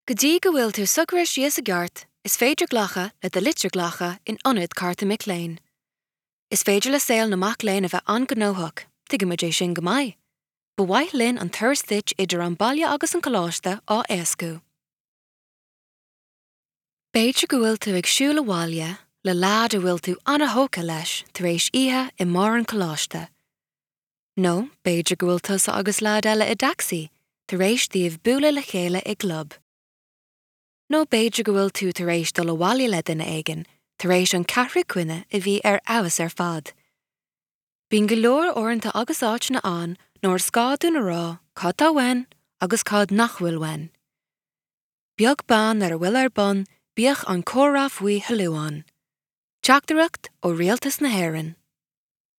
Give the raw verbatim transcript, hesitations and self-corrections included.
Go dtí go bhfuil tú socraithe síos i gceart, is féidir glacadh le do litir ghlactha in ionad cárta mic léinn. Is féidir le saol na mac léinn a bheith an-ghnóthach, tuigimid é sin go maith. Ba mhaith linn an turas duit idir an baile agus an coláiste á éascú. B'fhéidir go bhfuil tú ag siúl abhaile le leaid a bhfuil tú an-tógtha leis tar éis oíche i mbeár an choláiste. Nó b'fhéidir go bhfuil tusa agus leaid eile i dtacsaí tar éis daoibh bualadh le chéile i gclub. Nó b'fhéidir go bhfuil tú tar éis dul abhaile le duine éigin tar éis an ceathrú coinne a bhí ar fheabhas ar fad. Bíonn go leor uaireanta agus áiteanna ann nuair is gá dúinn a rá cad tá uainn agus cad nach bhfuil uainn. Beag beann ar a bhfuil ar bun, bíodh an comhrá faoi thoiliú ann. Teachtaireacht ó Rialtas na hÉireann.